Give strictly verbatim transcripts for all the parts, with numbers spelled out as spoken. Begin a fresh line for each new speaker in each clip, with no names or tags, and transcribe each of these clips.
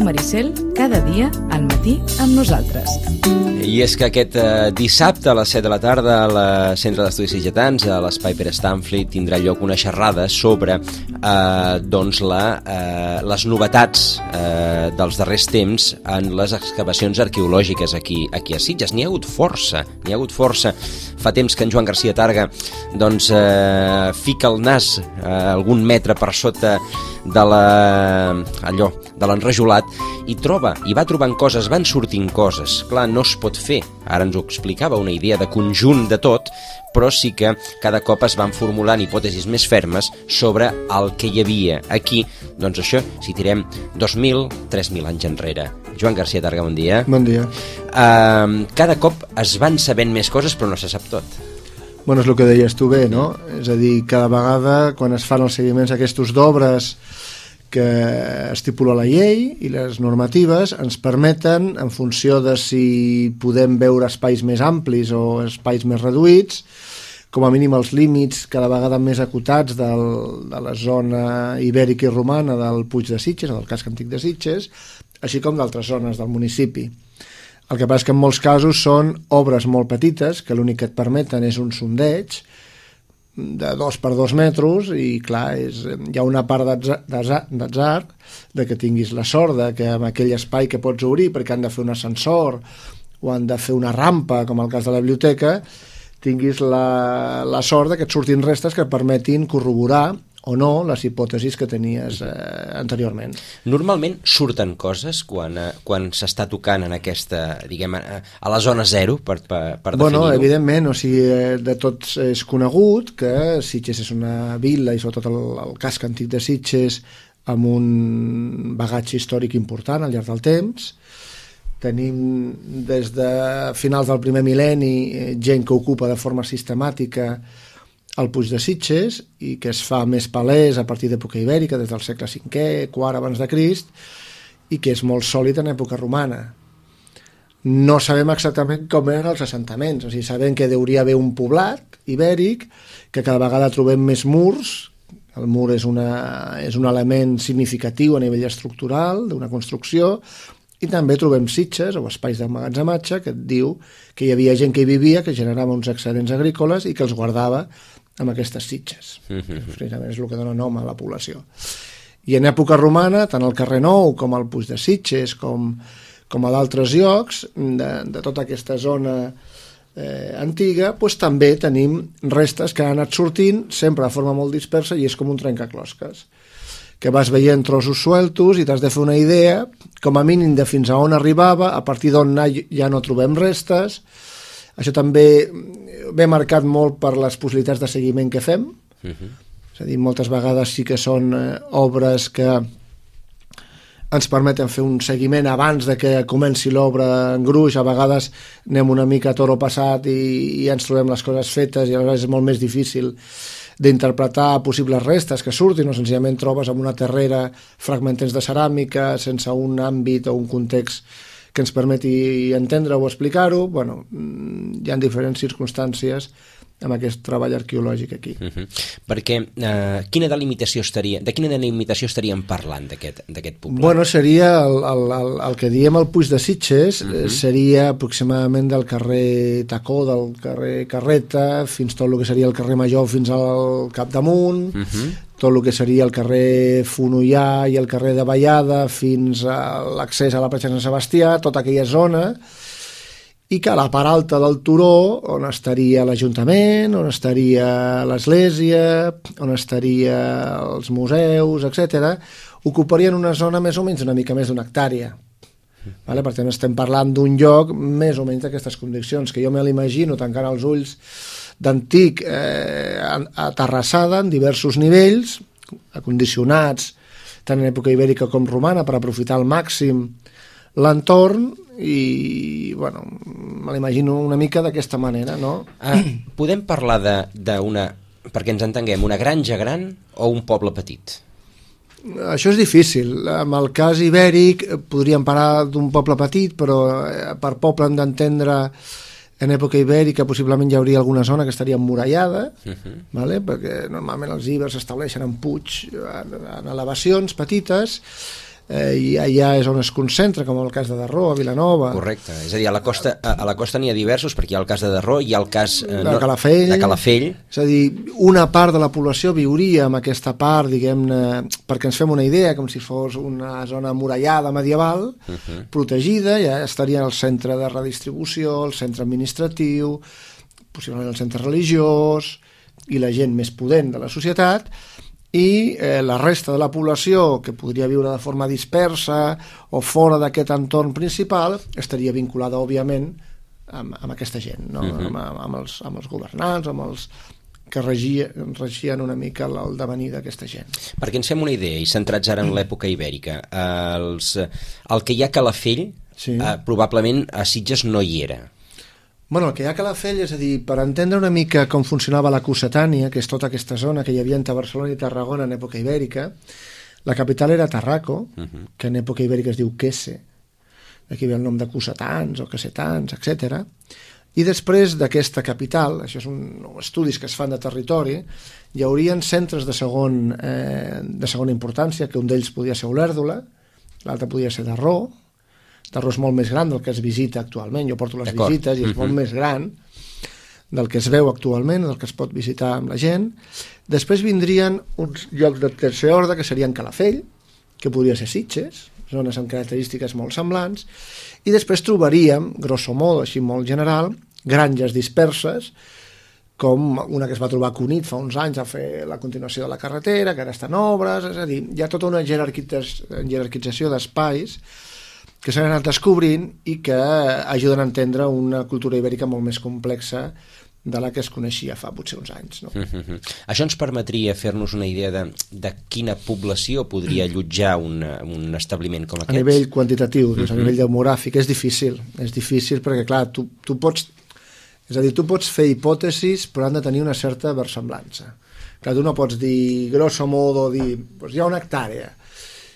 Ràdio Maricel, cada dia al matí amb nosaltres.
I és que aquest eh, dissabte a les set de la tarda al Centre d'Estudis Sitgetans, a l'Espai Pere Stanfli, tindrà lloc una xerrada sobre eh, doncs la, eh, les novetats eh, dels darrers temps en les excavacions arqueològiques aquí, aquí a Sitges. N'hi ha hagut força, n'hi ha hagut força. Fa temps que en Joan Garcia Targa doncs, eh, fica el nas eh, algun metre per sota de la, allò, de l'enrajolat i troba, i va trobant coses, van sortint coses. Clar, no es pot fer, ara ens ho explicava, una idea de conjunt de tot, però sí que cada cop es van formulant hipòtesis més fermes sobre el que hi havia aquí. Doncs això, si tirem dos mil, tres mil anys enrere. Joan Garcia Targa, bon dia.
Bon dia.
Uh, cada cop es van sabent més coses, però no se sap tot.
Bueno, és el que deies tu bé, no? És a dir, cada vegada, quan es fan els seguiments aquests d'obres que estipula la llei i les normatives, ens permeten, en funció de si podem veure espais més amplis o espais més reduïts, com a mínim els límits cada vegada més acotats del, de la zona ibèrica i romana del Puig de Sitges, o del casc antic de Sitges, així com d'altres zones del municipi. El que passa és que en molts casos són obres molt petites, que l'únic que et permeten és un sondeig de dos per dos metres i clar, és, hi ha una part d'atzar de que tinguis la sort de que en aquell espai que pots obrir perquè han de fer un ascensor o han de fer una rampa, com el cas de la biblioteca, tinguis la, la sort de que et surtin restes que permetin corroborar o no les hipòtesis que tenies eh, anteriorment.
Normalment surten coses quan, eh, quan s'està tocant en aquesta, diguem, a, a la zona zero, per, per, per definir-ho?
Bueno, evidentment, o sigui, de tots és conegut que Sitges és una vila i sobretot el, el casc antic de Sitges amb un bagatge històric important al llarg del temps. Tenim des de finals del primer mil·lenni gent que ocupa de forma sistemàtica el Puig de Sitges i que es fa més palès a partir d'època ibèrica, des del segle cinquè, quart abans de Crist, i que és molt sòlid en època romana. No sabem exactament com eren els assentaments, o sigui, sabem que hauria haver un poblat ibèric, que cada vegada trobem més murs. El mur és, una, és un element significatiu a nivell estructural d'una construcció, i també trobem sitges o espais d'emmagatzematge que et diu que hi havia gent que hi vivia, que generava uns excedents agrícoles i que els guardava amb aquestes sitges. Mm-hmm. Precisament és el que dona nom a la població. I en època romana, tant al carrer Nou com al Puig de Sitges, com, com a d'altres llocs de, de tota aquesta zona eh, antiga, doncs també tenim restes que han anat sortint sempre de forma molt dispersa i és com un trencaclosques, que vas veient trossos sueltos i t'has de fer una idea, com a mínim de fins a on arribava, a partir d'on ja no trobem restes. Això també ve marcat molt per les possibilitats de seguiment que fem. Uh-huh. És a dir, moltes vegades sí que són eh, obres que ens permeten fer un seguiment abans de que comenci l'obra en gruix. A vegades anem una mica a toro passat i, i ens trobem les coses fetes i a vegades és molt més difícil d'interpretar possibles restes que surtin o senzillament trobes en una terrera fragments de ceràmica sense un àmbit o un context que ens permeti entendre o explicar-ho. Bueno, hi ha diferents circumstàncies amb aquest treball arqueològic aquí.
Uh-huh. Perquè eh, quina delimitació estaria, de quina delimitació estaríem parlant d'aquest poblat?
Bueno, seria el, el, el, el que diem el Puig de Sitges, uh-huh. seria aproximadament del carrer Tacó, del carrer Carreta, fins tot el que seria el carrer Major fins al Capdamunt, uh-huh. tot el que seria el carrer Fonollà i el carrer de Vallada fins a l'accés a la platja de Sant Sebastià, tota aquella zona, i que a la part alta del turó, on estaria l'Ajuntament, on estaria l'església, on estaria els museus, etcètera, ocuparien una zona més o menys una mica més d'una hectàrea. Vale? Per tant, estem parlant d'un lloc més o menys d'aquestes condicions, que jo me l'imagino tancant els ulls d'antic eh, aterrassada en diversos nivells, acondicionats tant en època ibèrica com romana per aprofitar al màxim l'entorn i, bueno, me l'imagino una mica d'aquesta manera, no?
Ah, podem parlar d'una, perquè ens entenguem, una granja gran o un poble petit?
Això és difícil. En el cas ibèric podríem parlar d'un poble petit, però per poble hem d'entendre en època ibèrica possiblement hi hauria alguna zona que estaria emmurallada, uh-huh. vale? Perquè normalment els ibers s'estableixen en puig, en, en elevacions petites. eh, i allà és on es concentra, com el cas de Darró, a Vilanova.
Correcte, és a dir, a la costa, a, a la costa n'hi ha diversos, perquè hi ha el cas de Darró, hi ha el cas eh,
de, Calafell,
de Calafell.
És a dir, una part de la població viuria en aquesta part, diguem-ne, perquè ens fem una idea, com si fos una zona murallada medieval, uh -huh. protegida, ja estaria el centre de redistribució, el centre administratiu, possiblement el centre religiós, i la gent més pudent de la societat, i eh, la resta de la població que podria viure de forma dispersa o fora d'aquest entorn principal estaria vinculada, òbviament, amb, amb aquesta gent, no? uh-huh. amb, amb, els, amb els governants, amb els que regien, regien una mica el devenir d'aquesta gent.
Perquè ens fem una idea, i centrats ara en l'època ibèrica, eh, els, el que hi ha a Calafell, sí. eh, probablement a Sitges no hi era.
Bueno, el que hi ha a Calafell, és a dir, per entendre una mica com funcionava la Cossetània, que és tota aquesta zona que hi havia entre Barcelona i Tarragona en època ibèrica, la capital era Tarraco, uh-huh. que en època ibèrica es diu Quese, d'aquí ve el nom de Cossetans o Cassetans, etcètera. I després d'aquesta capital, això és un estudis que es fan de territori, hi haurien centres de, segon, eh, de segona importància, que un d'ells podia ser Olèrdola, l'altre podia ser Darró. Darró és molt més gran del que es visita actualment, jo porto les visites i és molt més gran del que es veu actualment, del que es pot visitar amb la gent. Després vindrien uns llocs de tercer ordre, que serien Calafell, que podria ser Sitges, zones amb característiques molt semblants, i després trobaríem, grosso modo, així molt general, granges disperses, com una que es va trobar a Cunit fa uns anys a fer la continuació de la carretera, que ara està en obres, és a dir, hi ha tota una jerarquització d'espais que s'han anat descobrint i que ajuden a entendre una cultura ibèrica molt més complexa de la que es coneixia fa potser uns anys. No?
Mm-hmm. Això ens permetria fer-nos una idea de, de quina població podria allotjar un, un establiment com aquest?
A nivell quantitatiu, mm-hmm. a nivell demogràfic, és difícil. És difícil perquè, clar, tu, tu pots... És a dir, tu pots fer hipòtesis, però han de tenir una certa versemblança. Clar, tu no pots dir, grosso modo, dir, doncs hi ha una hectàrea.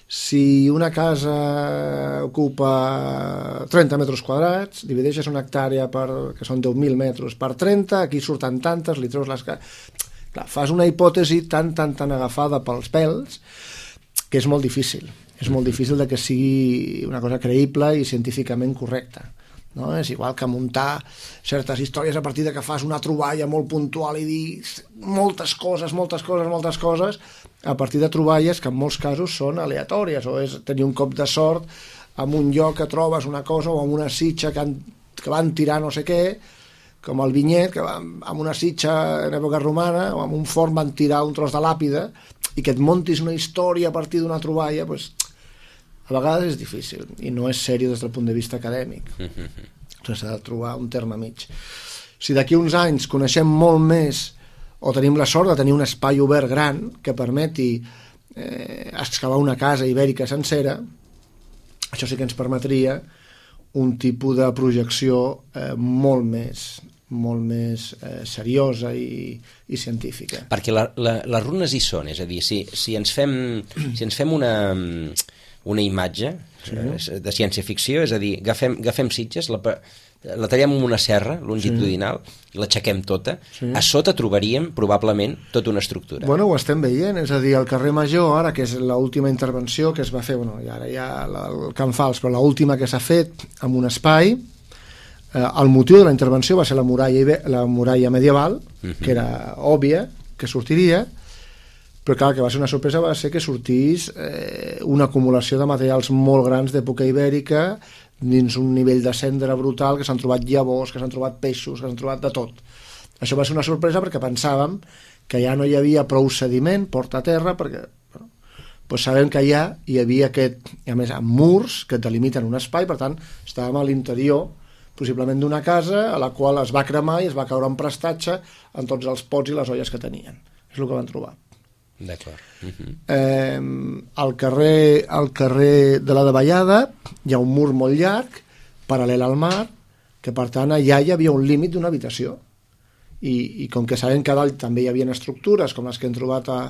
Si una casa ocupa trenta metres quadrats, divideixes una hectàrea per, que són deu mil metres per trenta, aquí surten tantes, li treus les... Clar, fas una hipòtesi tan, tan, tan agafada pels pèls que és molt difícil. És molt difícil de que sigui una cosa creïble i científicament correcta. No? És igual que muntar certes històries a partir de que fas una troballa molt puntual i dir moltes coses, moltes coses, moltes coses, a partir de troballes que en molts casos són aleatòries, o és tenir un cop de sort en un lloc que trobes una cosa o en una sitja que, han, que van tirar no sé què, com el Vinyet, que va, amb una sitja en època romana o amb un forn van tirar un tros de làpida, i que et montis una història a partir d'una troballa, doncs, a vegades és difícil i no és sèrio des del punt de vista acadèmic. Mm-hmm. S'ha de trobar un terme mig. Si d'aquí uns anys coneixem molt més o tenim la sort de tenir un espai obert gran que permeti eh, excavar una casa ibèrica sencera, això sí que ens permetria un tipus de projecció eh, molt més molt més eh, seriosa i, i científica.
Perquè la, la, les runes hi són, és a dir, si, si ens fem, si ens fem una... una imatge sí. eh, de ciència-ficció, és a dir, agafem, agafem Sitges, la, la tallem amb una serra longitudinal sí. i l'aixequem tota, sí. a sota trobaríem probablement tota una estructura.
Bueno, ho estem veient, és a dir, el carrer Major, ara que és l'última intervenció que es va fer, bueno, i ara ja el Can Fals, però l'última que s'ha fet amb un espai, eh, el motiu de la intervenció va ser la muralla, la muralla medieval, uh-huh. que era òbvia, que sortiria, però clar, que va ser una sorpresa va ser que sortís eh, una acumulació de materials molt grans d'època ibèrica dins un nivell de cendra brutal, que s'han trobat llavors, que s'han trobat peixos, que s'han trobat de tot. Això va ser una sorpresa perquè pensàvem que ja no hi havia prou sediment, porta a terra, perquè bueno, doncs sabem que allà hi havia aquest, i a més amb murs que delimiten un espai, per tant estàvem a l'interior possiblement d'una casa a la qual es va cremar i es va caure en prestatge en tots els pots i les olles que tenien. És el que van trobar.
D'acord. Uh-huh.
eh, al, carrer, al carrer de la Davallada hi ha un mur molt llarg paral·lel al mar, que per tant allà hi havia un límit d'una habitació i, i com que sabem que a dalt també hi havia estructures com les que hem trobat a,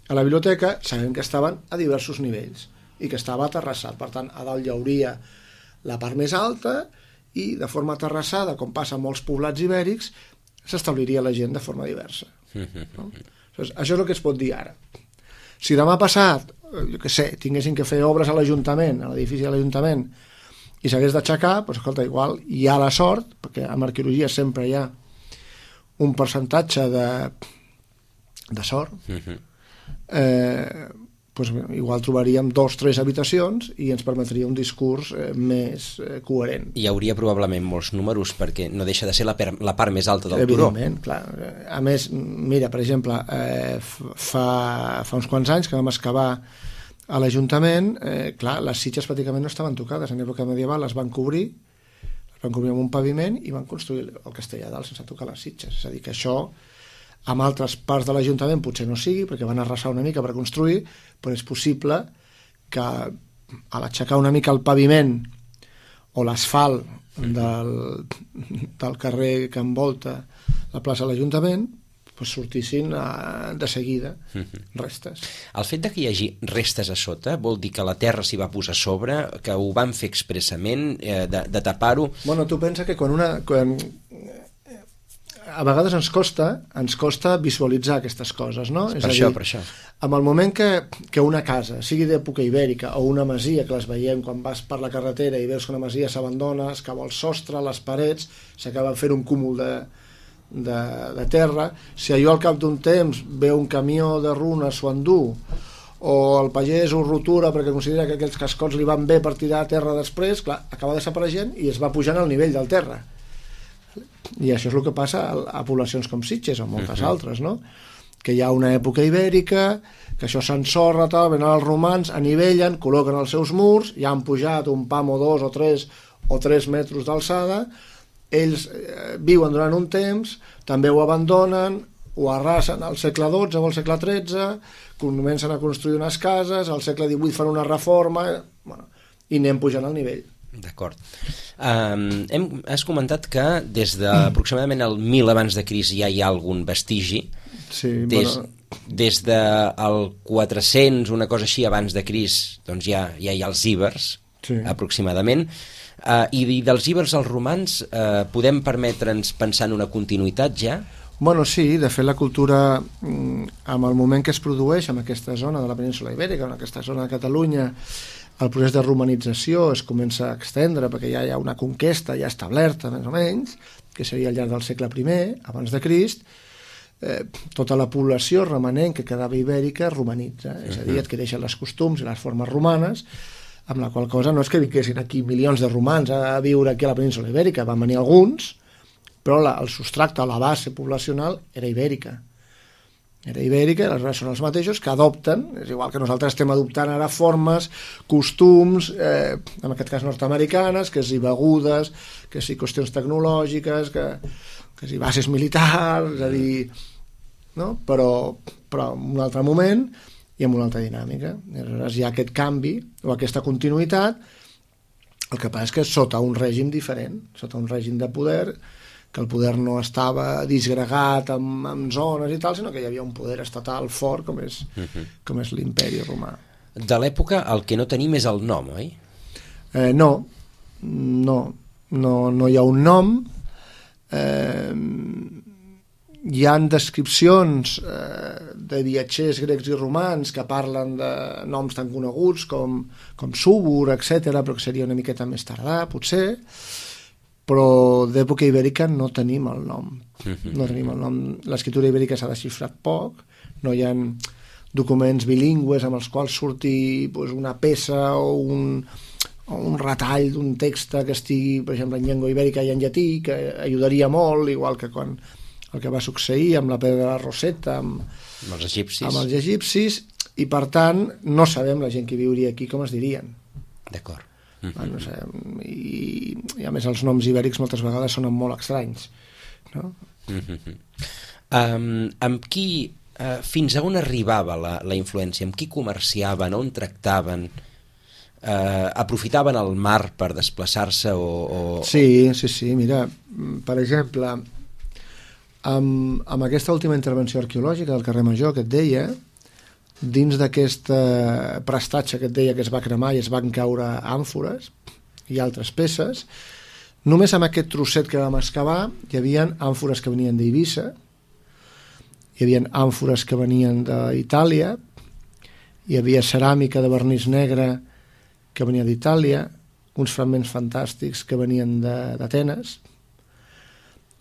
a la biblioteca, sabem que estaven a diversos nivells i que estava aterrassat, per tant a dalt hi hauria la part més alta i de forma aterrassada, com passa en molts poblats ibèrics, s'establiria la gent de forma diversa. No? Això és el que es pot dir ara. Si demà passat jo què sé, tinguessin que fer obres a l'Ajuntament, a l'edifici de l'Ajuntament, i s'hagués d'aixecar, doncs escolta, igual hi ha la sort, perquè en arqueologia sempre hi ha un percentatge de, de sort, uh-huh. eh, doncs igual trobaríem dos o tres habitacions i ens permetria un discurs eh, més eh, coherent.
Hi hauria probablement molts números perquè no deixa de ser la, per, la part més alta del turó.
Evidentment, clar. A més, mira, per exemple, eh, fa, fa uns quants anys que vam excavar a l'Ajuntament, eh, clar, les sitges pràcticament no estaven tocades. En època medieval les van cobrir, les van cobrir amb un paviment i van construir el castell a dalt sense tocar les sitges. És a dir, que això amb altres parts de l'Ajuntament potser no sigui, perquè van arrasar una mica per construir, però és possible que a l'aixecar una mica el paviment o l'asfalt del, del carrer que envolta la plaça de l'Ajuntament pues sortissin a, de seguida restes.
El fet de que hi hagi restes a sota vol dir que la terra s'hi va posar a sobre, que ho van fer expressament, eh, de, de tapar-ho...
Bueno, tu pensa que quan una... Quan, a vegades ens costa ens costa visualitzar aquestes coses, no?
Per
és
això,
a dir,
per això.
En el moment que, que una casa, sigui d'època ibèrica o una masia, que les veiem quan vas per la carretera i veus que una masia s'abandona, es cau el sostre, les parets, s'acaba fent un cúmul de, de, de terra, si allò al cap d'un temps ve un camió de runes s'ho endú, o el pagès ho rotura perquè considera que aquells cascots li van bé per tirar a terra després, clar, acaba desapareixent i es va pujant al nivell del terra. I això és el que passa a, a poblacions com Sitges o moltes uh-huh. altres, no? Que hi ha una època ibèrica, que això s'ensorra, tal, venen els romans, anivellen, col·loquen els seus murs, ja han pujat un pam o dos o tres o tres metres d'alçada, ells eh, viuen durant un temps, també ho abandonen, ho arrasen al segle dotze o al segle tretze, comencen a construir unes cases, al segle divuit fan una reforma, bueno, i anem pujant al nivell.
D'acord. Um, hem, has comentat que des d'aproximadament el mil abans de Crist ja hi ha algun vestigi.
Sí,
des,
bueno...
des del quatre-cents, una cosa així, abans de Crist, doncs ja, ja hi ha els íbers, sí. aproximadament. Uh, i, I dels íbers als romans uh, podem permetre'ns pensar en una continuïtat ja?
Bueno, sí, de fet la cultura, amb el moment que es produeix en aquesta zona de la península Ibèrica, en aquesta zona de Catalunya, el procés de romanització es comença a extendre perquè ja hi ha una conquesta ja establerta, més o menys, que seria al llarg del segle primer, abans de Crist, eh, tota la població remanent que quedava ibèrica romanitza, és a dir, adquireixen les costums i les formes romanes, amb la qual cosa no és que vinguessin aquí milions de romans a viure aquí a la península Ibèrica, van venir alguns, però la, el substracte, la base poblacional era ibèrica. Era ibèrica, i aleshores són els mateixos que adopten, és igual que nosaltres estem adoptant ara formes, costums, eh, en aquest cas nord-americanes, que si begudes, que si qüestions tecnològiques, que, que si bases militars, és a dir, no? però, però en un altre moment i amb una altra dinàmica. I aleshores hi ha aquest canvi o aquesta continuïtat, el que passa és que sota un règim diferent, sota un règim de poder, que el poder no estava disgregat amb, amb zones i tal, sinó que hi havia un poder estatal fort com és, uh-huh. com és l'imperi romà.
De l'època el que no tenim és el nom, oi?
Eh, no, no, no, no hi ha un nom. Eh, hi ha descripcions eh, de viatgers grecs i romans que parlen de noms tan coneguts com, com Súbor, etcètera, però que seria una miqueta més tardà, potser, però d'època ibèrica no tenim el nom. No tenim el nom. L'escriptura ibèrica s'ha desxifrat poc, no hi ha documents bilingües amb els quals surti pues, una peça o un, o un retall d'un text que estigui, per exemple, en llengua ibèrica i en llatí, que ajudaria molt, igual que quan el que va succeir amb la pedra de la Rosetta, amb,
amb els egipcis,
amb els egipcis, i per tant no sabem la gent que viuria aquí com es dirien.
D'acord.
Mm-hmm. No sé, i, i a més els noms ibèrics moltes vegades sonen molt estranys, no?
Mm-hmm. um, amb qui uh, fins a on arribava la, la influència? Amb qui comerciaven, on tractaven? Uh, aprofitaven el mar per desplaçar-se o, o...
Sí, sí, sí, mira, per exemple amb, amb aquesta última intervenció arqueològica del carrer Major que et deia, dins d'aquest prestatge que et deia que es va cremar i es van caure àmfores i altres peces, només amb aquest trosset que vam excavar hi havia àmfores que venien d'Eivissa, hi havia àmfores que venien d'Itàlia, hi havia ceràmica de vernís negre que venia d'Itàlia, uns fragments fantàstics que venien d'Atenes,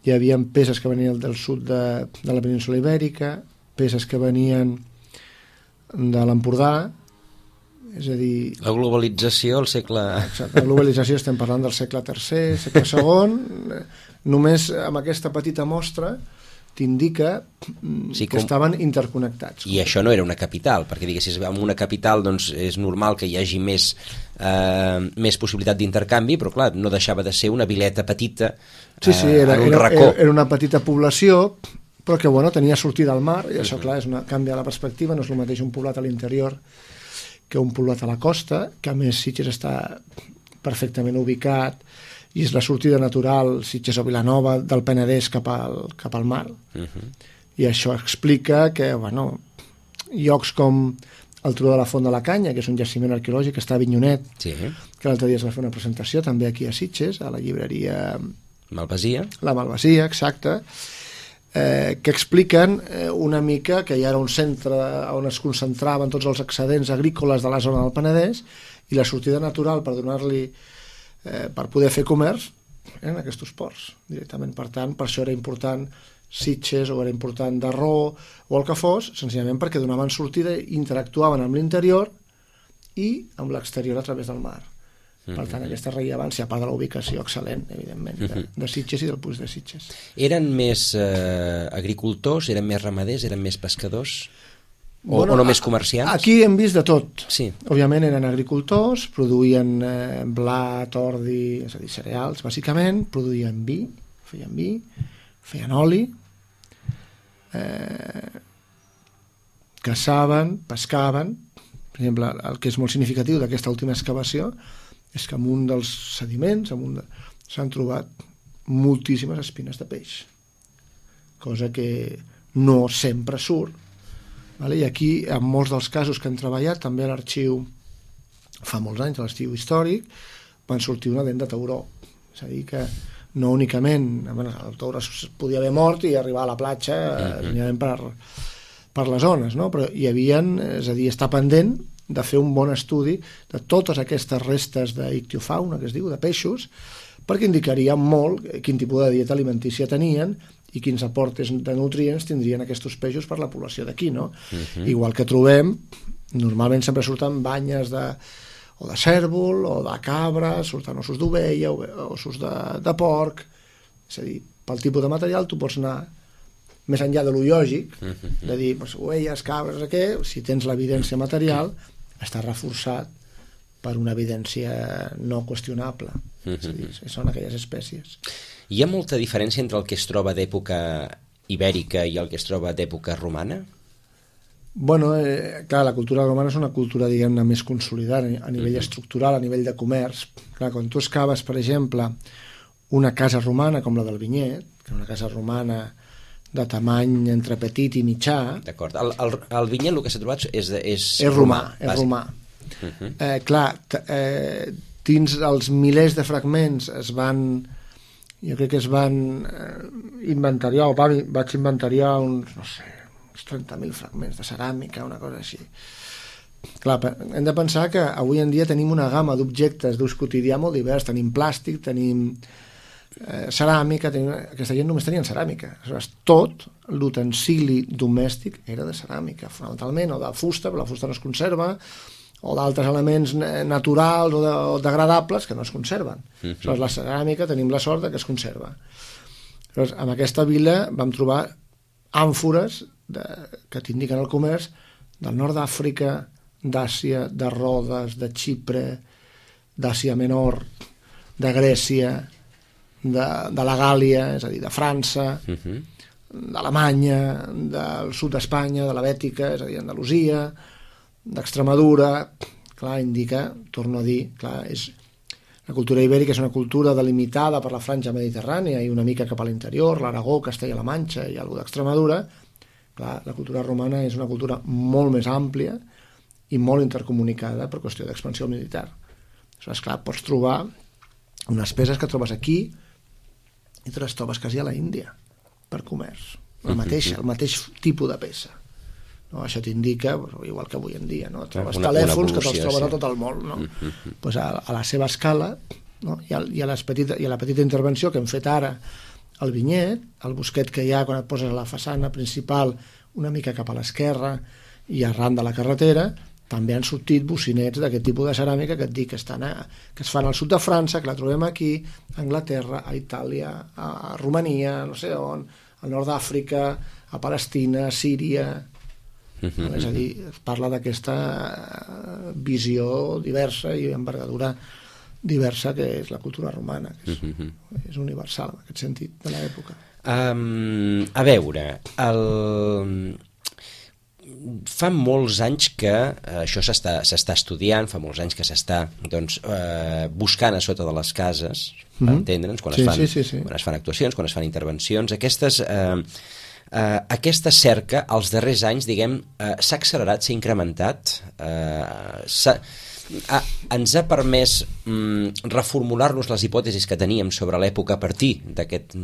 hi havia peces que venien del sud de, de la península Ibèrica, peces que venien de l'Empordà, és a dir...
La globalització al segle...
Exacte, la globalització estem parlant del segle tercer, segle segon, només amb aquesta petita mostra t'indica sí, que com... estaven interconnectats.
I això no era una capital, perquè diguessis, en una capital doncs, és normal que hi hagi més, eh, més possibilitat d'intercanvi, però clar, no deixava de ser una vileta petita eh,
sí, sí, era,
en un
era,
racó.
Era una petita població, però que bueno, tenia sortida al mar, i això, clar, és una, canvia la perspectiva, no és el mateix un poblat a l'interior que un poblat a la costa, que a més Sitges està perfectament ubicat i és la sortida natural, Sitges o Vilanova, del Penedès cap al, cap al mar. Uh-huh. I això explica que, bueno, llocs com el Turó de la Font de la Canya, que és un jaciment arqueològic que està a Avinyonet, sí. que l'altre dia es va fer una presentació també aquí a Sitges, a la llibreria
Malvasia.
La Malvasia, exacte, eh, que expliquen eh, una mica que hi era un centre on es concentraven tots els excedents agrícoles de la zona del Penedès i la sortida natural per donar-li eh, per poder fer comerç eren aquests ports directament. Per tant, per això era important Sitges o era important Darró o el que fos, senzillament perquè donaven sortida i interactuaven amb l'interior i amb l'exterior a través del mar. Per tant, aquesta rellevància, a part de la ubicació excel·lent, evidentment, de, de Sitges i del Puig de Sitges.
Eren més eh, agricultors, eren més ramaders, eren més pescadors? O,
bueno,
o només comerciants?
Aquí hem vist de tot.
Sí.
Òbviament eren agricultors, produïen eh, blat, ordi, és a dir, cereals, bàsicament, produïen vi, feien vi, feien oli, eh, caçaven, pescaven. Per exemple, el que és molt significatiu d'aquesta última excavació és que en un dels sediments de... s'han trobat moltíssimes espines de peix, cosa que no sempre surt. Vale? I aquí, en molts dels casos que han treballat, també a l'arxiu, fa molts anys, a l'arxiu històric, van sortir una dent de tauró. És a dir, que no únicament... Bueno, el tauró es podia haver mort i arribar a la platja uh-huh. per, per les zones, no? Però hi havia, és a dir, està pendent de fer un bon estudi de totes aquestes restes d'ictiofauna, que es diu, de peixos, perquè indicaria molt quin tipus de dieta alimentícia tenien i quins aportes de nutrients tindrien aquests peixos per la població d'aquí, no? Uh-huh. Igual que trobem, normalment sempre surten banyes de, o de cèrvol, o de cabra, surten ossos d'ovella, ossos de, de porc, és a dir, pel tipus de material tu pots anar més enllà de lo lògic, uh-huh. de dir, pues, ovelles, cabres, què, si tens l'evidència material, està reforçat per una evidència no qüestionable. Uh-huh. És a dir, són aquelles espècies.
Hi ha molta diferència entre el que es troba d'època ibèrica i el que es troba d'època romana?
Bueno, eh, clar, la cultura romana és una cultura, diguem-ne, més consolidada a nivell uh-huh. estructural, a nivell de comerç. Clar, quan tu excaves, per exemple, una casa romana com la del Vinyet, que és una casa romana de tamany entre petit i mitjà.
D'acord. El, el, el Vinyet, el que s'ha trobat és, és,
és romà. És romà. Uh-huh. eh, clar, t- eh, dins els milers de fragments es van, jo crec que es van eh, inventariar, o va, vaig inventariar uns, no sé, uns trenta mil fragments de ceràmica, una cosa així. Clar, hem de pensar que avui en dia tenim una gamma d'objectes d'ús quotidià molt divers. Tenim plàstic, tenim Eh, ceràmica, tenim... aquesta gent només tenien ceràmica. Aleshores, tot l'utensili domèstic era de ceràmica, fonamentalment, o de fusta, però la fusta no es conserva, o d'altres elements naturals o, de, o degradables que no es conserven. Uh-huh. Aleshores, la ceràmica tenim la sort que es conserva. Aleshores, en aquesta vila vam trobar àmfores de, que t'indiquen el comerç del nord d'Àfrica, d'Àsia, de Rodes, de Xipre, d'Àsia Menor, de Grècia, De, de la Gàlia, és a dir, de França, uh-huh. d'Alemanya, del sud d'Espanya, de la Bètica, és a dir, Andalusia, d'Extremadura. Clar, indica, torno a dir, clar, és, la cultura ibèrica és una cultura delimitada per la franja mediterrània i una mica cap a l'interior, l'Aragó, Castella-La Manxa i alguna d'Extremadura. Clar, la cultura romana és una cultura molt més àmplia i molt intercomunicada per qüestió d'expansió militar. Aleshores, clar, pots trobar unes peces que trobes aquí i te les trobes quasi a la Índia per comerç, el mateix, el mateix tipus de peça. no? Això t'indica, igual que avui en dia, no? Trobes
una,
telèfons
una
que te'ls troben
sí.
a tot el món, no?
Mm-hmm.
Pues a, a la seva escala, no? I, a, i, a les petita, i a la petita intervenció que hem fet ara al vinyet, el bosquet que hi ha quan et poses a la façana principal una mica cap a l'esquerra i arran de la carretera, també han sortit bocinets d'aquest tipus de ceràmica que et dic que, estan a, que es fan al sud de França, que la trobem aquí, a Anglaterra, a Itàlia, a Romania, no sé on, al nord d'Àfrica, a Palestina, a Síria... Mm-hmm. És a dir, es parla d'aquesta visió diversa i envergadura diversa que és la cultura romana, que és, mm-hmm. és universal en aquest sentit de l'època.
Um, a veure, el... fa molts anys que eh, això s'està s'està estudiant, fa molts anys que s'està doncs, eh, buscant a sota de les cases, per mm-hmm. entendre'ns, quan,
sí,
es fan,
sí, sí, sí.
quan es fan actuacions, quan es fan intervencions, aquestes... Eh, Uh, aquesta cerca, als darrers anys, diguem, uh, s'ha accelerat, s'ha incrementat, uh, s'ha, uh, ens ha permès um, reformular-nos les hipòtesis que teníem sobre l'època a partir d'aquest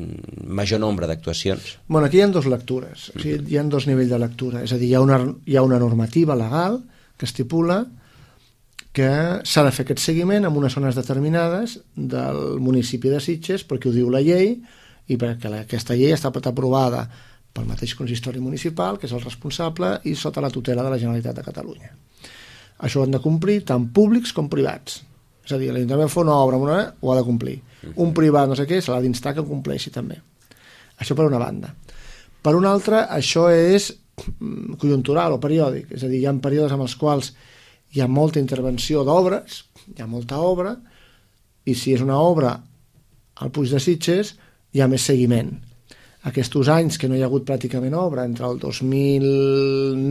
major nombre d'actuacions?
Bueno, aquí hi ha dues lectures, o sigui, hi ha dos nivells de lectura, és a dir, hi ha una, hi ha una normativa legal que estipula que s'ha de fer aquest seguiment en unes zones determinades del municipi de Sitges perquè ho diu la llei i perquè la, aquesta llei està aprovada pel mateix consistori municipal, que és el responsable, i sota la tutela de la Generalitat de Catalunya. Això ho han de complir tant públics com privats. És a dir, l'Ajuntament fa una obra, una, ho ha de complir. Un privat, no sé què, se l'ha d'instar que compleixi també. Això per una banda. Per una altra, això és conjuntural o periòdic. És a dir, hi ha períodes en els quals hi ha molta intervenció d'obres, hi ha molta obra, i si és una obra al Puig de Sitges, hi ha més seguiment. Aquests anys que no hi ha hagut pràcticament obra, entre el dos mil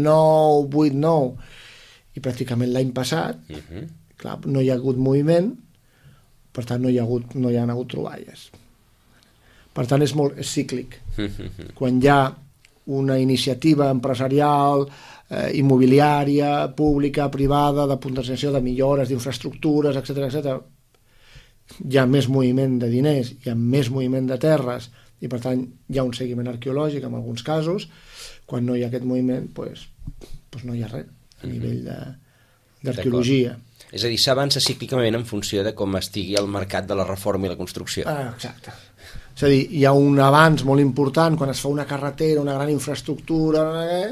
nou, vuit, nou i pràcticament l'any passat, uh-huh. clar, no hi ha hagut moviment, per tant no hi ha hagut, no hi ha hagut troballes. Per tant és molt és cíclic. Uh-huh. Quan hi ha una iniciativa empresarial, eh, immobiliària, pública, privada, de potenciació de millores, d'infraestructures, etcètera, etcètera, hi ha més moviment de diners, hi ha més moviment de terres, i per tant hi ha un seguiment arqueològic en alguns casos. Quan no hi ha aquest moviment doncs, doncs no hi ha res a nivell d'arqueologia.
És a dir, s'avança cíclicament en funció de com estigui el mercat de la reforma i la construcció.
Ah, exacte. És a dir, hi ha un avanç molt important quan es fa una carretera, una gran infraestructura, eh?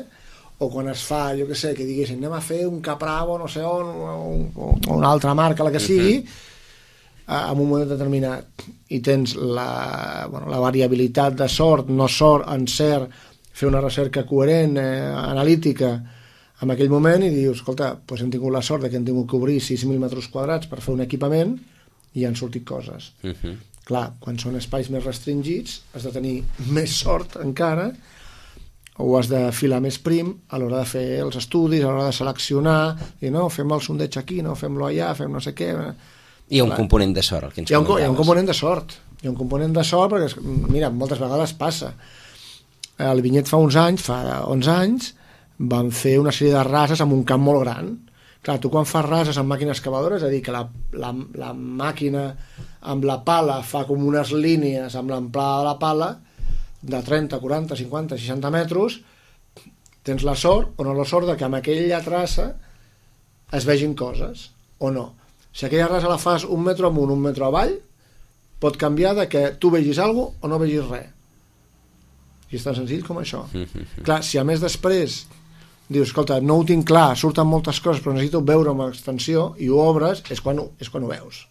O quan es fa, jo què sé, que diguessin anem a fer un Capravo, no sé on, o, o una altra marca, la que sigui, uh-huh. en un moment determinat, i tens la, bueno, la variabilitat de sort, no sort, encert, fer una recerca coherent, eh, analítica, en aquell moment, i dius, escolta, doncs hem tingut la sort que hem tingut que obrir sis mil metres quadrats per fer un equipament i han sortit coses. Uh-huh. Clar, quan són espais més restringits has de tenir més sort encara, o has de filar més prim a l'hora de fer els estudis, a l'hora de seleccionar, i no, fem el sondeig aquí, no, fem-lo allà, fem no sé què...
Hi ha un Clar. component de sort, el que ens
hi ha un,
comentaves.
Hi ha un component de sort. Hi ha un component de sort perquè, mira, moltes vegades passa. El vinyet fa uns anys, fa onze anys, van fer una sèrie de rases amb un camp molt gran. Clar, tu quan fas rases amb màquines excavadores, és a dir, que la, la, la màquina amb la pala fa com unes línies amb l'amplada de la pala de trenta, quaranta, cinquanta, seixanta metres, tens la sort o no la sort de que amb aquella traça es vegin coses, o no. Si aquella rasa la fas un metre amunt, un metre avall, pot canviar de que tu vegis alguna cosa o no vegis res. I és tan senzill com això. Clar, si a més després dius, escolta, no ho tinc clar, surten moltes coses, però necessito veure amb extensió, i ho obres, és quan ho, és quan ho veus.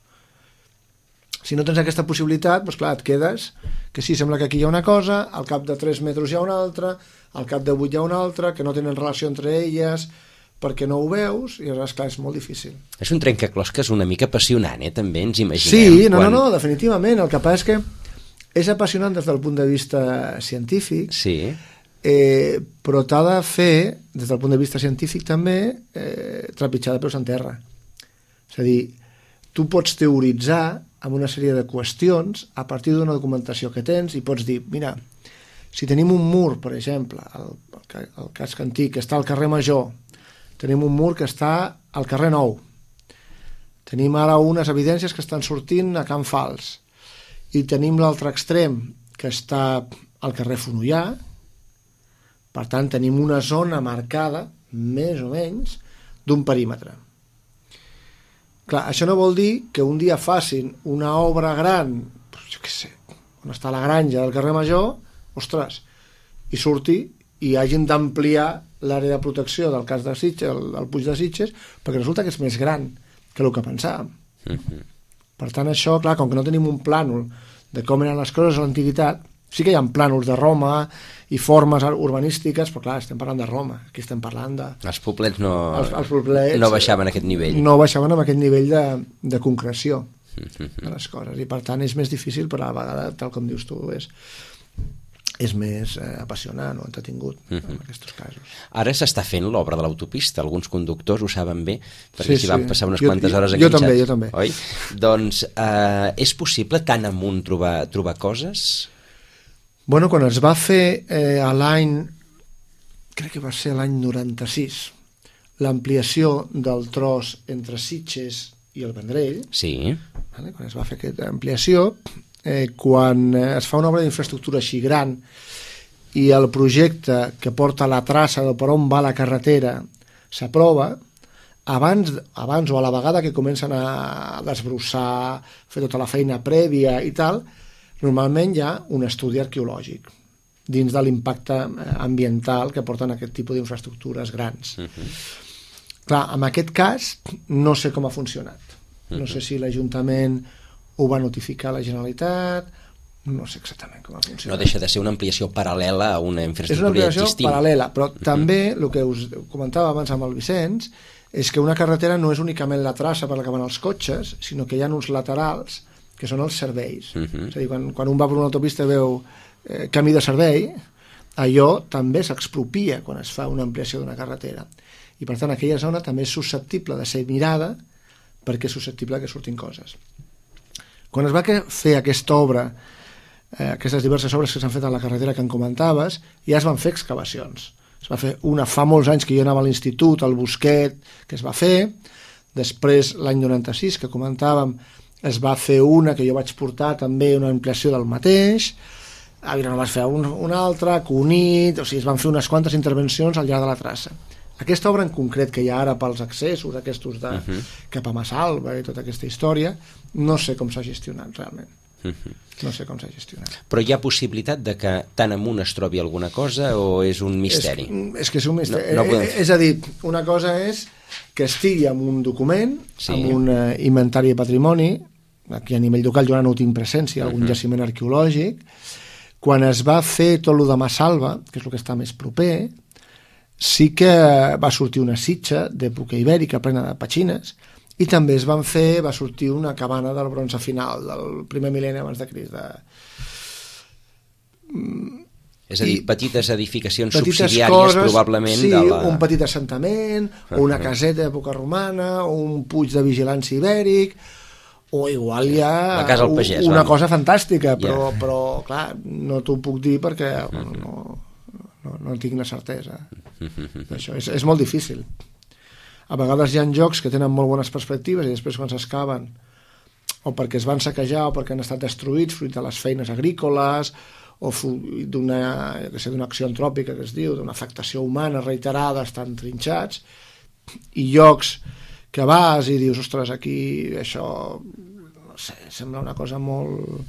Si no tens aquesta possibilitat, doncs clar, et quedes que sí, sembla que aquí hi ha una cosa, al cap de tres metres hi ha una altra, al cap de vuit hi ha una altra, que no tenen relació entre elles, perquè no ho veus, i aleshores, clar, és molt difícil.
És un trencaclosques una mica apassionant, eh? També ens imaginem.
Sí, no,
quan...
no, no, definitivament. El que passa és que és apassionant des del punt de vista científic,
sí.
eh, però t'ha de fer, des del punt de vista científic també, eh, trepitjar de peus en terra. És a dir, tu pots teoritzar amb una sèrie de qüestions a partir d'una documentació que tens i pots dir, mira, si tenim un mur, per exemple, el, el casc antic, que està al carrer Major, tenim un mur que està al carrer Nou, tenim ara unes evidències que estan sortint a Can Fals, i tenim l'altre extrem que està al carrer Fonollar, Per tant, tenim una zona marcada, més o menys, d'un perímetre. Clar, això no vol dir que un dia facin una obra gran, jo què sé, on està la granja del carrer Major, ostres, i surti i hagin d'ampliar l'àrea de protecció del cas de Sitges, el, el Puig de Sitges, perquè resulta que és més gran que el que pensàvem. Mm-hmm. Per tant, això, clar, com que no tenim un plànol de com eren les coses a l'antiguitat, sí que hi ha plànols de Roma i formes urbanístiques, però clar, estem parlant de Roma, aquí estem parlant de...
Els poblets no,
els, els poblets,
no baixaven a aquest nivell.
No baixaven a aquest nivell de, de concreció mm-hmm. de les coses, i per tant és més difícil, però a la vegada, tal com dius tu, és... és més eh, apassionant o entretingut uh-huh. en aquests casos.
Ara s'està fent l'obra de l'autopista, alguns conductors ho saben bé, perquè
sí,
s'hi
sí.
van passar unes
jo,
quantes hores
jo,
enganxats.
Jo també, jo també.
Oi? Doncs eh, és possible tan amunt trobar, trobar coses?
Bueno, quan es va fer eh, a l'any, crec que va ser l'any noranta-sis, l'ampliació del tros entre Sitges i el Vendrell,
sí.
vale? Quan es va fer aquesta ampliació, Eh, quan es fa una obra d'infraestructura així gran i el projecte que porta la traça de per on va la carretera s'aprova, abans, abans o a la vegada que comencen a desbrossar, fer tota la feina prèvia i tal, normalment hi ha un estudi arqueològic dins de l'impacte ambiental que porten aquest tipus d'infraestructures grans. Uh-huh. Clar, en aquest cas no sé com ha funcionat. No sé si l'Ajuntament ho va notificar a la Generalitat, no sé exactament com ha funcionat.
No deixa de ser una ampliació paral·lela a una infraestructura
existent. És una ampliació
existint.
paral·lela, però uh-huh. també el que us comentava abans amb el Vicenç és que una carretera no és únicament la traça per la que van els cotxes, sinó que hi ha uns laterals que són els serveis. Uh-huh. És a dir, quan, quan un va per una autopista i veu eh, camí de servei, allò també s'expropia quan es fa una ampliació d'una carretera. I per tant aquella zona també és susceptible de ser mirada perquè és susceptible que surtin coses. Quan es va fer aquesta obra, eh, aquestes diverses obres que s'han fet a la carretera que en comentaves, ja es van fer excavacions. Es va fer una fa molts anys que jo anava a l'institut, al Busquet, que es va fer. Després, l'any noranta-sis, que comentàvem, es va fer una que jo vaig portar també, una ampliació del mateix. A Vilanova es va fer un, una altra, Cunit, o sigui, es van fer unes quantes intervencions al llarg de la traça. Aquesta obra en concret que hi ha ara pels accessos aquests de uh-huh. cap a Massalva i tota aquesta història, no sé com s'ha gestionat realment. Uh-huh. No sé com s'ha gestionat.
Però hi ha possibilitat de que tan amunt es trobi alguna cosa o és un misteri?
És, és que és un misteri.
No, no podem...
És a dir, una cosa és que estigui en un document, sí. en un uh, inventari de patrimoni, aquí a nivell local jo ara no tinc presència, algun uh-huh. jaciment arqueològic. Quan es va fer tot el de Massalva, que és el que està més proper, sí que va sortir una sitja d'època ibèrica plena de petxines i també es van fer, va sortir una cabana del bronze final del primer mil·lenni abans de Crist. De...
És a dir, I petites edificacions
petites
subsidiàries
coses,
probablement
sí,
de la...
un petit assentament, uh-huh. o una caseta d'època romana, o un puig de vigilància ibèric, o igual hi ha
la casa al pagès,
una
vam.
cosa fantàstica, però,
yeah.
però clar, no t'ho puc dir perquè uh-huh. no... No, no tinc la certesa d'això. És, és molt difícil. A vegades hi ha jocs que tenen molt bones perspectives i després quan s'excaven o perquè es van saquejar o perquè han estat destruïts fruit de les feines agrícoles o d'una d'una acció antròpica que es diu, d'una afectació humana reiterada, estan trinxats, i llocs que vas i dius, ostres, aquí això no sé, sembla una cosa molt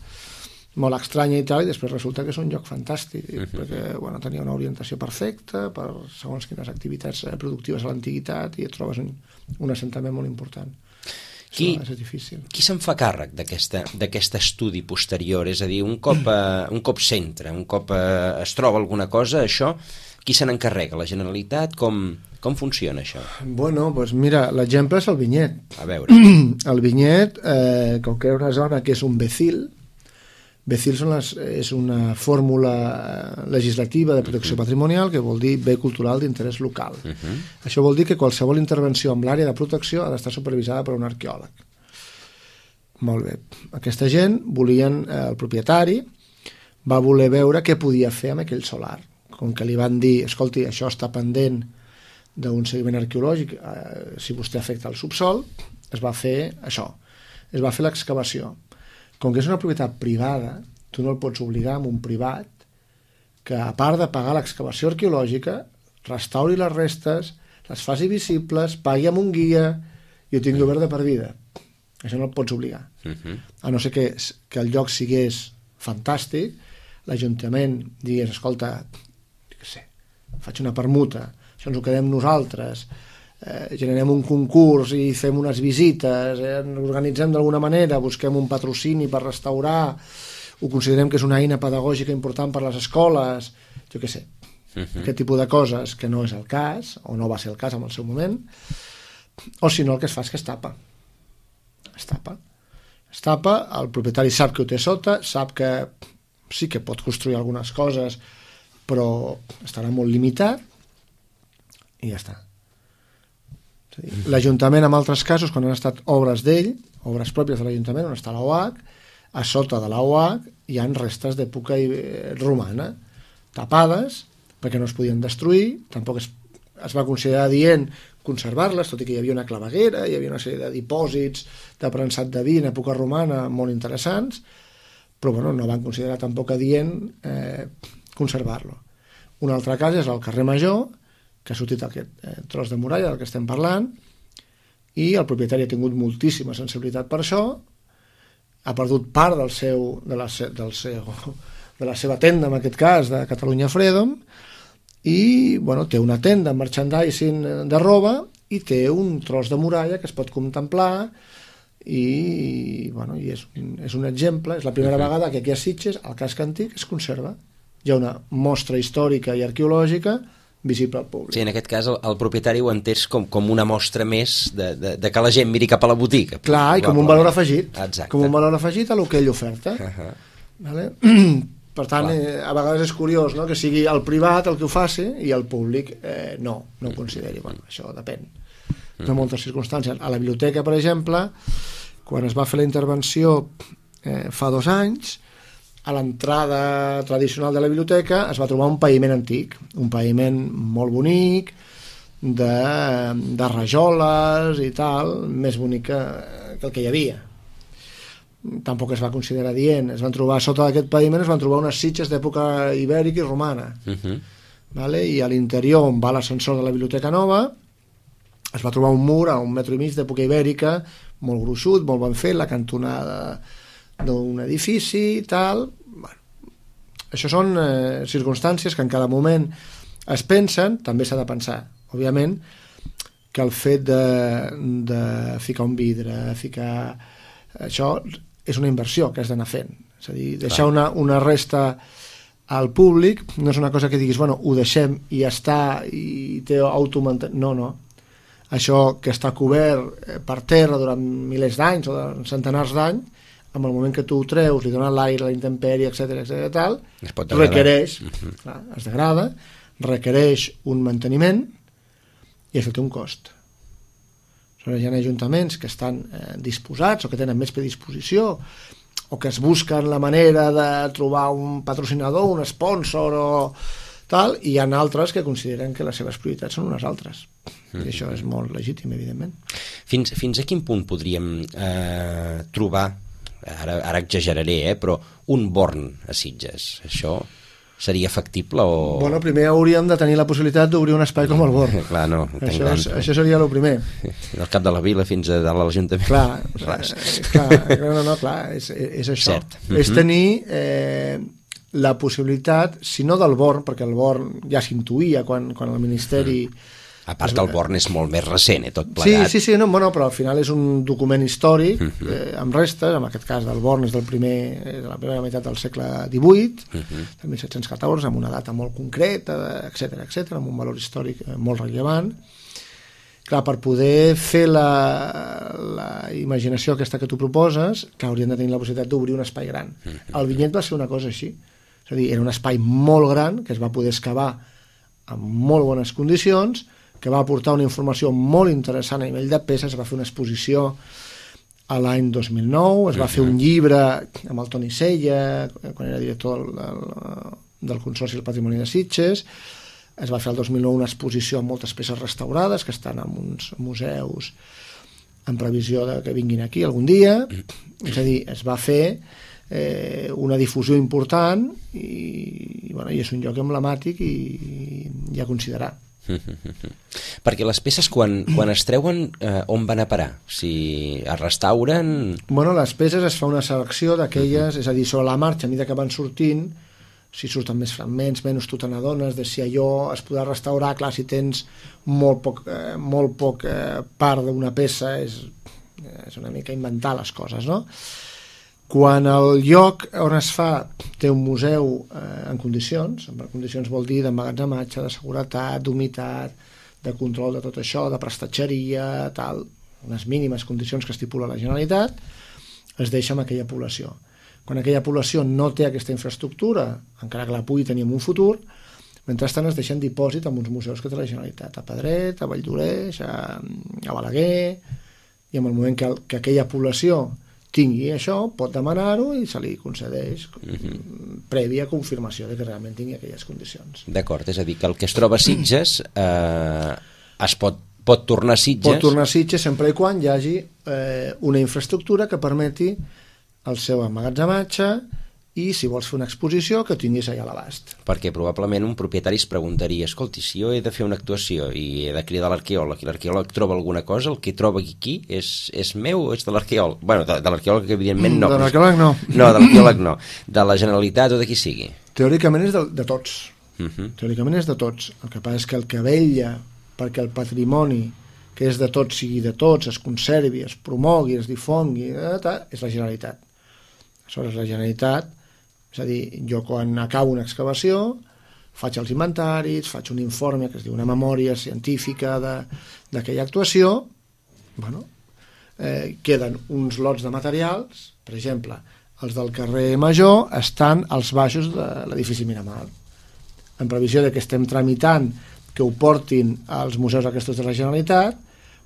molt estranya i tal, i després resulta que és un lloc fantàstic, uh-huh. perquè bueno, tenia una orientació perfecta per segons quines activitats productives a l'antiguitat i et trobes un, un assentament molt important. Qui, és difícil.
Qui se'n fa càrrec d'aquest estudi posterior? És a dir, un cop, eh, un cop s'entra, un cop eh, es troba alguna cosa, això, qui se n'encarrega? La Generalitat? Com, com funciona això?
Bueno, doncs mira, l'exemple és el Vinyet.
A veure.
El Vinyet, eh, com que era una zona que és un becil, becil són les, és una fórmula legislativa de protecció uh-huh. patrimonial que vol dir bé cultural d'interès local. Uh-huh. Això vol dir que qualsevol intervenció en l'àrea de protecció ha d'estar supervisada per un arqueòleg. Molt bé. Aquesta gent volien, eh, el propietari va voler veure què podia fer amb aquell solar. Com que li van dir, escolti, això està pendent d'un seguiment arqueològic, eh, si vostè afecta el subsol, es va fer això. Es va fer l'excavació. Com que és una propietat privada, tu no el pots obligar amb un privat que a part de pagar l'excavació arqueològica, restauri les restes, les faci visibles, pagui amb un guia i ho tingui obert de per vida. Això no el pots obligar. Uh-huh. A no ser que, que el lloc sigués fantàstic, l'Ajuntament digués, escolta, què sé, faig una permuta, això ens ho quedem nosaltres, eh, generem un concurs i fem unes visites, eh, organitzem d'alguna manera, busquem un patrocini per restaurar, ho considerem que és una eina pedagògica important per les escoles, jo què sé, uh-huh. aquest tipus de coses que no és el cas, o no va ser el cas en el seu moment, o si no el que es fa és que es tapa. Es tapa. Es tapa, el propietari sap que ho té sota, sap que sí que pot construir algunes coses, però estarà molt limitat, i ja està. És a dir, l'Ajuntament, en altres casos, quan han estat obres d'ell, obres pròpies de l'Ajuntament, on està la O H, a sota de la O H hi ha restes d'època romana, tapades, perquè no es podien destruir, tampoc es, es va considerar dient conservar-les, tot i que hi havia una claveguera, hi havia una sèrie de dipòsits de prensat de vi en època romana molt interessants, però bueno, no van considerar tampoc adient eh, conservar-lo. Un altre cas és el carrer Major, que ha sortit aquest eh, tros de muralla del que estem parlant, i el propietari ha tingut moltíssima sensibilitat per això, ha perdut part del seu, de, la, del seu, de la seva tenda, en aquest cas, de Catalunya Freedom, i bueno, té una tenda amb merchandising de roba i té un tros de muralla que es pot contemplar i, bueno, i és, un, és un exemple, és la primera uh-huh. vegada que aquí a Sitges el casc antic es conserva. Hi ha una mostra històrica i arqueològica visible al públic.
Sí, en aquest cas el, el propietari ho entès com, com una mostra més de, de, de que la gent miri cap a la botiga.
Clar, i com un valor afegit.
Exacte.
Com un valor afegit a lo que ell oferta.
Uh-huh. Vale?
Per tant, eh, a vegades és curiós, no?, que sigui el privat el que ho faci i el públic eh, no, no ho consideri. Bueno, això depèn de moltes circumstàncies. A la biblioteca, per exemple, quan es va fer la intervenció eh, fa dos anys, a l'entrada tradicional de la biblioteca es va trobar un paviment antic, un paviment molt bonic, de, de rajoles i tal, més bonic que, que el que hi havia. Tampoc es va considerar dient. Es van trobar sota d'aquest paviment, es van trobar unes sitges d'època ibèrica i romana. Uh-huh. Vale? I a l'interior, on va l'ascensor de la biblioteca nova, es va trobar un mur a un metro i mig d'època ibèrica, molt gruixut, molt ben fet, la cantonada d'un edifici i tal. Bueno, això són eh, circumstàncies que en cada moment es pensen, també s'ha de pensar, òbviament, que el fet de, de ficar un vidre, ficar... Això és una inversió que has d'anar fent. És a dir, deixar una, una resta al públic no és una cosa que diguis, bueno, ho deixem i ja està, i té automanteniment. No, no. Això que està cobert per terra durant milers d'anys o de centenars d'anys, en el moment que tu ho treus, li dones l'aire, la intempèrie, etcètera, etcètera, tal, requereix, uh-huh. clar, es degrada, requereix un manteniment i això té un cost. Hi ha ajuntaments que estan eh, disposats o que tenen més predisposició o que es busquen la manera de trobar un patrocinador, un sponsor o tal, i hi ha altres que consideren que les seves prioritats són unes altres. Mm-hmm. I això és molt legítim, evidentment.
Fins, fins a quin punt podríem eh, trobar, ara, ara exageraré, eh, però un Born a Sitges? Això seria factible o...?
Bueno, primer hauríem de tenir la possibilitat d'obrir un espai com el Born.
Clar, no.
Això, és, això seria el primer.
Del cap de la vila fins a dalt a l'Ajuntament.
Clar, clar, no, no, clar, és, és això. Cert. És tenir eh, la possibilitat, si no del Born, perquè el Born ja s'intuïa quan, quan el Ministeri... Mm.
A part que el Born és molt més recent, eh, tot plegat.
Sí, sí, sí, no, bueno, però al final és un document històric uh-huh. eh, amb restes, en aquest cas del Born és del primer, de la primera meitat del segle divuit, uh-huh. del mil set-cents catorze, amb una data molt concreta, etcètera, etcètera, amb un valor històric molt rellevant. Clar, per poder fer la, la imaginació aquesta que tu proposes, que haurien de tenir la possibilitat d'obrir un espai gran. Uh-huh. El vinyet va ser una cosa així, és a dir, era un espai molt gran que es va poder excavar en molt bones condicions, que va aportar una informació molt interessant a nivell de peces. Es va fer una exposició a l'any dos mil nou, es va fer un llibre amb el Toni Sella, quan era director del, del, del Consorci del Patrimoni de Sitges, es va fer el dos mil nou una exposició amb moltes peces restaurades que estan en uns museus en previsió de que vinguin aquí algun dia. És a dir, es va fer eh, una difusió important i, i, bueno, i és un lloc emblemàtic i, i a considerar.
Perquè les peces quan, quan es treuen eh, on van a parar? Si es restauren...
Bueno, les peces es fa una selecció d'aquelles, és a dir, sobre la marxa, a mesura que van sortint, si surten més fragments, menys tu te n'adones de si allò es podrà restaurar. Clar, si tens molt poc, eh, molt poc eh, part d'una peça, és, és una mica inventar les coses, no? Quan el lloc on es fa té un museu eh, en condicions, en condicions vol dir d'emmagatzematge, de seguretat, d'humitat, de control de tot això, de prestatgeria, tal, unes mínimes condicions que estipula la Generalitat, es deixa amb aquella població. Quan aquella població no té aquesta infraestructura, encara que la pugui tenir en un futur, mentrestant es deixen dipòsit en uns museus que té la Generalitat, a Pedret, a Valldoreix, a, a Balaguer, i en el moment que, que aquella població tingui això, pot demanar-ho i se li concedeix uh-huh. prèvia confirmació de que realment tingui aquelles condicions.
D'acord, és a dir, que el que es troba a Sitges eh, es pot, pot tornar a Sitges...
Pot tornar a Sitges sempre i quan hi hagi eh, una infraestructura que permeti el seu emmagatzematge i, si vols fer una exposició, que tinguis allà a l'abast.
Perquè probablement un propietari es preguntaria, escolti, si jo he de fer una actuació i he de cridar l'arqueòleg i l'arqueòleg troba alguna cosa, el que troba aquí és, és meu o és de l'arqueòleg? Bueno, de, de l'arqueòleg que evidentment no.
De l'arqueòleg no.
No, de l'arqueòleg no. De la Generalitat o de qui sigui.
Teòricament és de, de tots.
Uh-huh.
Teòricament és de tots. El que passa és que el que vetlla perquè el patrimoni que és de tots sigui de tots, es conservi, es promogui, es difongui, és la Generalitat. Aleshores, la Generalitat, és a dir, jo quan acabo una excavació faig els inventaris, faig un informe que es diu una memòria científica d'aquella actuació, bueno, eh, queden uns lots de materials, per exemple, els del carrer Major estan als baixos de l'edifici Miramar. En previsió de que estem tramitant que ho portin als museus aquests de la Generalitat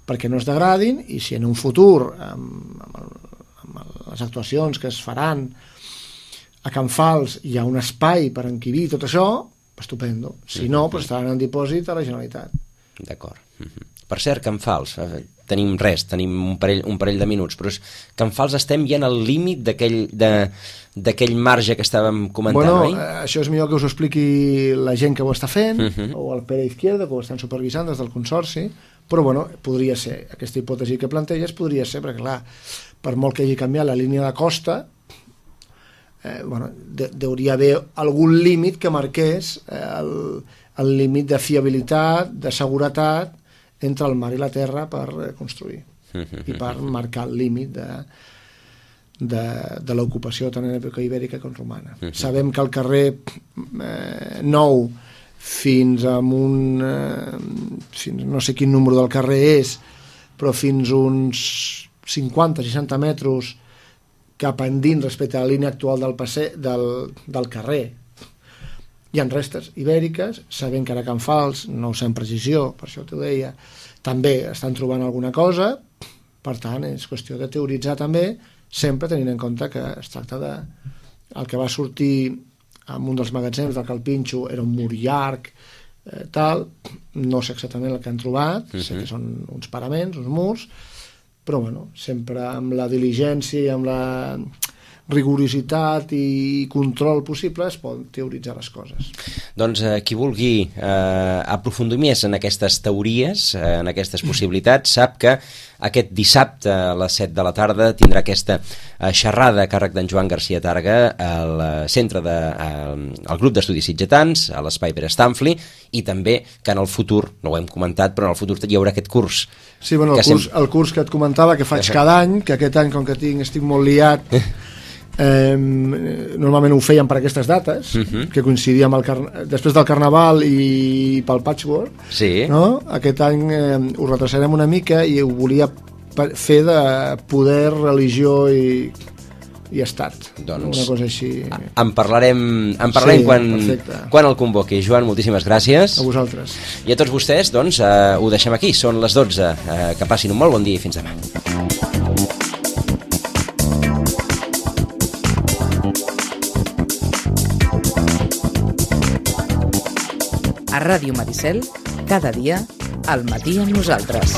perquè no es degradin i si en un futur, amb, amb, el, amb les actuacions que es faran a Can Fals hi ha un espai per encabir tot això, estupendo. Si no, pues estaran en dipòsit a la Generalitat.
D'acord. Per cert, Can Fals, tenim res, tenim un parell, un parell de minuts, però és, Can Fals estem ja en el límit d'aquell d'aquell marge que estàvem comentant,
bueno,
oi?
Bueno, això és millor que us ho expliqui la gent que ho està fent, uh -huh. o el Pere Izquierdo, que ho estan supervisant des del Consorci, però bueno, podria ser, aquesta hipòtesi que planteges podria ser, perquè clar, per molt que hagi canviat la línia de costa, Eh, bueno, de, deuria haver algun límit que marqués eh, el, el límit de fiabilitat, de seguretat entre el mar i la terra per eh, construir i per marcar el límit de, de, de l'ocupació tant en època ibèrica com romana. Sabem que el carrer eh, Nou fins a un eh, fins, no sé quin número del carrer és, però fins uns cinquanta seixanta metres cap endins respecte a la línia actual del, passe, del, del carrer. Hi ha restes ibèriques, sabent que ara Can Fals, no ho sé amb precisió, per això t'ho deia, també estan trobant alguna cosa, per tant, és qüestió de teoritzar també, sempre tenint en compte que es tracta de... El que va sortir en un dels magatzems del Calpinxo era un mur llarg, eh, tal, no sé exactament el que han trobat, uh-huh. sé que són uns paraments, uns murs, però bueno, sempre amb la diligència i amb la rigorositat i control possible es poden teoritzar les coses.
Doncs eh, qui vulgui eh, aprofundir més en aquestes teories, eh, en aquestes possibilitats, sap que aquest dissabte a les set de la tarda tindrà aquesta eh, xerrada a càrrec d'en Joan Garcia Targa al centre de, eh, al grup d'estudis sitgetans, a l'Espai Pere Stamfli, i també que en el futur, no ho hem comentat, però en el futur hi haurà aquest curs.
Sí, bueno, el, curs, sem... el curs que et comentava que faig cada any, que aquest any com que tinc, estic molt liat, Eh, normalment ho feien per aquestes dates, uh-huh. que coincidia amb el car- després del Carnaval i pel Patchwork,
sí.
no? Aquest any eh, ho retrasarem una mica i ho volia fer de poder, religió i, i estat,
doncs,
una cosa així.
En parlarem, en parlarem
sí,
quan, quan el convoqui. Joan, moltíssimes gràcies.
A vosaltres.
I a tots vostès, doncs, eh, ho deixem aquí, són les dotze. Eh, que passin un molt bon dia i fins demà.
A Ràdio Maricel, cada dia, al matí amb nosaltres.